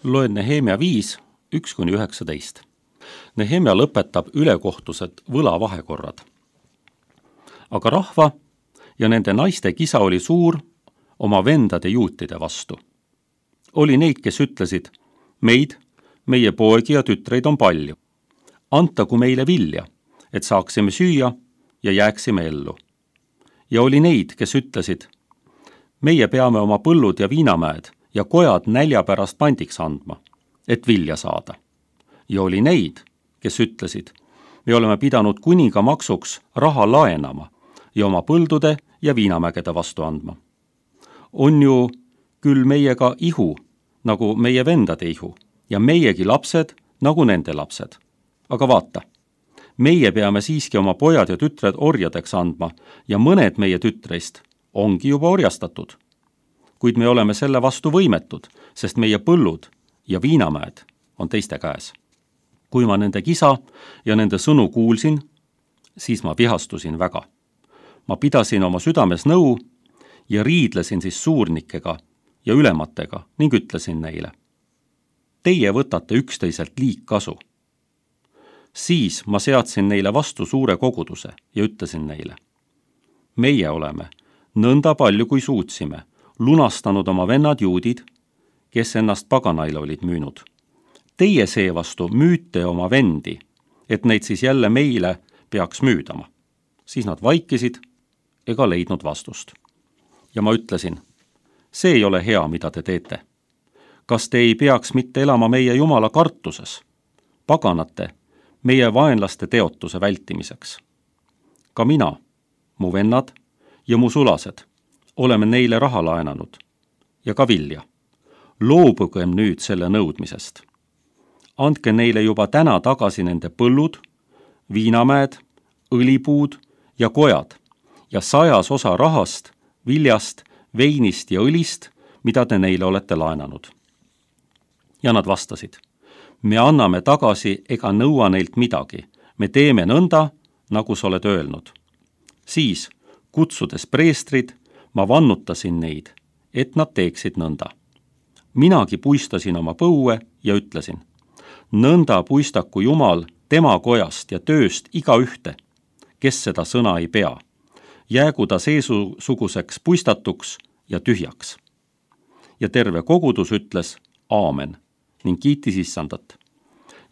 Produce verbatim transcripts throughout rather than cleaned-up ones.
Loen Nehemia viis, üks kuni üheksateist. Nehemia lõpetab ülekohtused võlavahekorrad. Aga rahva ja nende naiste kisa oli suur oma vendade juutide vastu. Oli neid, kes ütlesid, meid, meie poegi ja tütreid on palju. Antagu meile vilja, et saaksime süüa ja jääksime ellu. Ja oli neid, kes ütlesid, meie peame oma põllud ja viinamäed ja kojad nälja pärast pandiks andma, et vilja saada. Ja oli neid, kes ütlesid, me oleme pidanud kuninga maksuks raha laenama ja oma põldude ja viinamägede vastu andma. On ju küll meiega ihu, nagu meie vendade ihu, ja meiegi lapsed, nagu nende lapsed. Aga vaata, meie peame siiski oma pojad ja tütred orjadeks andma ja mõned meie tütreist ongi juba orjastatud. Kuid me oleme selle vastu võimetud, sest meie põllud ja viinamäed on teiste käes. Kui ma nende kisa ja nende sõnu kuulsin, siis ma vihastusin väga. Ma pidasin oma südames nõu ja riidlesin siis suurnikega ja ülematega ning ütlesin neile, teie võtate üksteiselt liigkasu. Siis ma seadsin neile vastu suure koguduse ja ütlesin neile, meie oleme nõnda palju kui suutsime lunastanud oma vennad juudid, kes ennast paganaile olid müünud. Teie seevastu müüte oma vendi, et neid siis jälle meile peaks müüdama. Siis nad vaikisid ega leidnud vastust. Ja ma ütlesin, see ei ole hea, mida te teete. Kas te ei peaks mitte elama meie Jumala kartuses, paganate, meie vaenlaste teotuse vältimiseks? Ka mina, mu vennad ja mu sulased oleme neile raha laenanud ja ka vilja. Loobugem nüüd selle nõudmisest. Andke neile juba täna tagasi nende põllud, viinamäed, õlipuud ja kojad ja sajas osa rahast, viljast, veinist ja õlist, mida te neile olete laenanud. Ja nad vastasid, me anname tagasi ega nõua neilt midagi, me teeme nõnda, nagu sa oled öelnud. Siis, kutsudes preestrid, ma vannutasin neid, et nad teeksid nõnda. Minagi puistasin oma põue ja ütlesin, nõnda puistaku Jumal tema kojast ja tööst iga ühte, kes seda sõna ei pea. Jäägu ta seesuguseks puistatuks ja tühjaks. Ja terve kogudus ütles aamen ning kiitis issandat.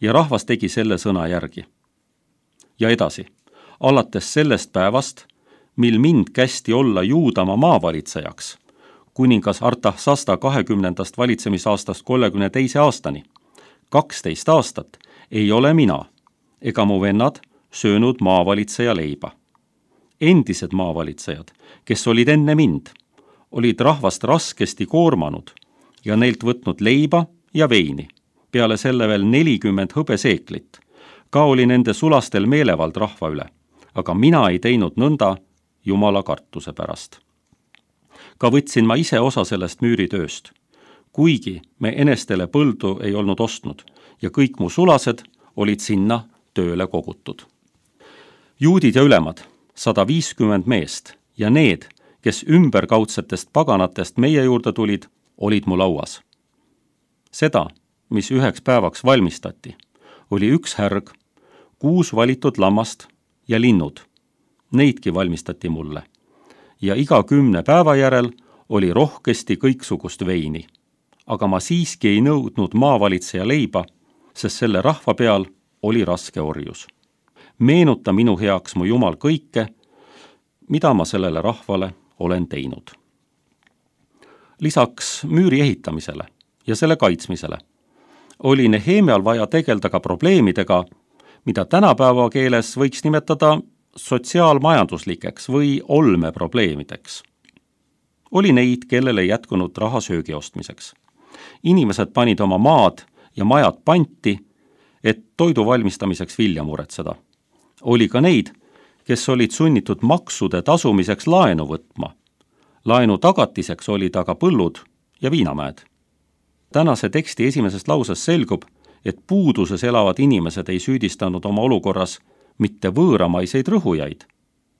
Ja rahvas tegi selle sõna järgi. Ja edasi, alates sellest päevast, mil mind kästi olla Juudamaa maavalitsejaks, kuningas Artaxasta kahekümnendast valitsemisaastast kolmekümne teise aastani, kaksteist aastat ei ole mina ega mu vennad söönud maavalitseja leiba. Endised maavalitsejad, kes olid enne mind, olid rahvast raskesti koormanud ja neilt võtnud leiba ja veini, peale selle veel nelikümmend hõbeseeklit. Ka oli nende sulastel meelevald rahva üle, aga mina ei teinud nõnda Jumala kartuse pärast. Ka võtsin ma ise osa sellest müüritööst, kuigi me enestele põldu ei olnud ostnud ja kõik mu sulased olid sinna tööle kogutud. Juudid ja ülemad, sada viiskümmend meest ja need, kes ümberkaudsetest paganatest meie juurde tulid, olid mu lauas. Seda, mis üheks päevaks valmistati, oli üks härg, kuus valitud lammast ja linnud. Neidki valmistati mulle. Ja iga kümne päeva järel oli rohkesti kõiksugust veini. Aga ma siiski ei nõudnud maavalitseja leiba, sest selle rahva peal oli raske orjus. Meenuta minu heaks mu Jumal kõike, mida ma sellele rahvale olen teinud. Lisaks müüri ehitamisele ja selle kaitsmisele oli Nehemial vaja tegelda ka probleemidega, mida tänapäeva keeles võiks nimetada sotsiaalmajanduslikeks või olmeprobleemideks. Oli neid, kellele ei jätkunud raha söögi ostmiseks. Inimesed panid oma maad ja majad panti, et toidu valmistamiseks vilja muretseda. Oli ka neid, kes olid sunnitud maksude tasumiseks laenu võtma. Laenu tagatiseks olid aga põllud ja viinamäed. Tänase teksti esimesest lausest selgub, et puuduses elavad inimesed ei süüdistanud oma olukorras mitte võõramaiseid rõhujaid,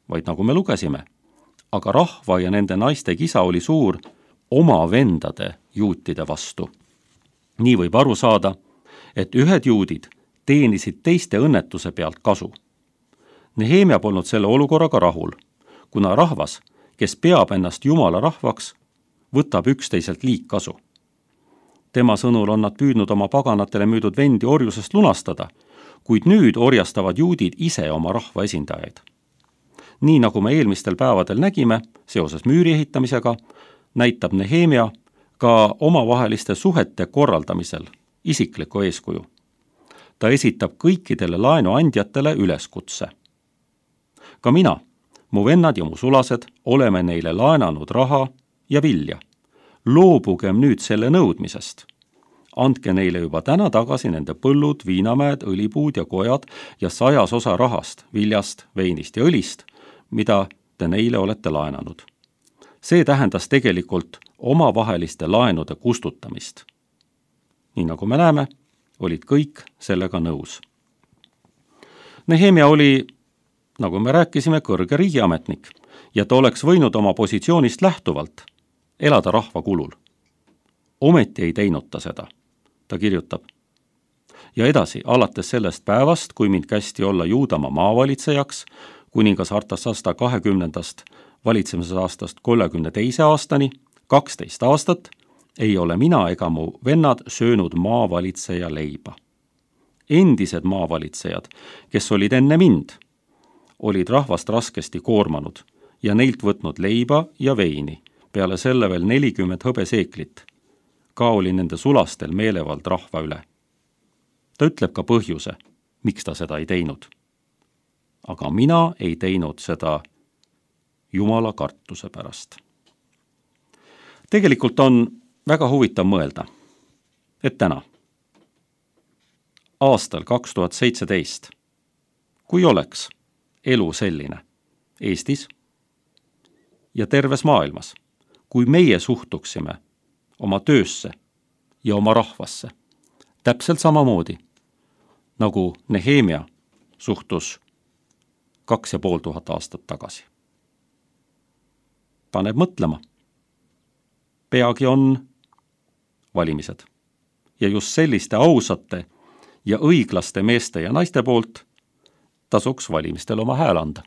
vaid nagu me lugesime, aga rahva ja nende naiste kisa oli suur oma vendade juutide vastu. nii võib aru saada, et ühed juudid teenisid teiste õnnetuse pealt kasu. Nehemia polnud selle olukorraga rahul, kuna rahvas, kes peab ennast Jumala rahvaks, võtab üksteiselt liigkasu. Tema sõnul on nad püüdnud oma paganatele müüdud vendi orjusest lunastada, kuid nüüd orjastavad juudid ise oma rahva esindajaid. Nii nagu me eelmistel päevadel nägime seoses müüri ehitamisega, näitab Nehemia ka omavaheliste suhete korraldamisel isiklikku eeskuju. Ta esitab kõikidele laenuandjatele üleskutse. Ka mina, mu vennad ja mu sulased oleme neile laenanud raha ja vilja. Loobugem nüüd selle nõudmisest. Andke neile juba täna tagasi nende põllud, viinamäed, õlipuud ja kojad ja sajas osa rahast, viljast, veinist ja õlist, mida te neile olete laenanud. See tähendas tegelikult omavaheliste laenude kustutamist. Nii nagu me näeme, olid kõik sellega nõus. Nehemia oli, nagu me rääkisime, kõrge riigiametnik ja ta oleks võinud oma positsioonist lähtuvalt elada rahva kulul. Ometi ei teinud ta seda. Ta kirjutab. Ja edasi, alates sellest päevast, kui mind kästi olla Juudamaa maavalitsejaks, kuningas Artasasta kahekümnendast valitsemisaastast kolmekümne teise aastani, kaksteist aastat, ei ole mina ega mu vennad söönud maavalitseja leiba. Endised maavalitsejad, kes olid enne mind, olid rahvast raskesti koormanud ja neilt võtnud leiba ja veini, peale selle veel nelikümmend hõbeseeklit. Ka oli nende sulastel meelevald rahva üle. Ta ütleb ka põhjuse, miks ta seda ei teinud. Aga mina ei teinud seda Jumala kartuse pärast. Tegelikult on väga huvitav mõelda, et täna, aastal kaks tuhat seitseteist, kui oleks elu selline Eestis ja terves maailmas, kui meie suhtuksime oma töösse ja oma rahvasse täpselt samamoodi, nagu Nehemia suhtus kaks ja pool tuhat aastat tagasi. Paneb mõtlema. Peagi on valimised ja just selliste ausate ja õiglaste meeste ja naiste poolt tasuks valimistel oma hääl anda.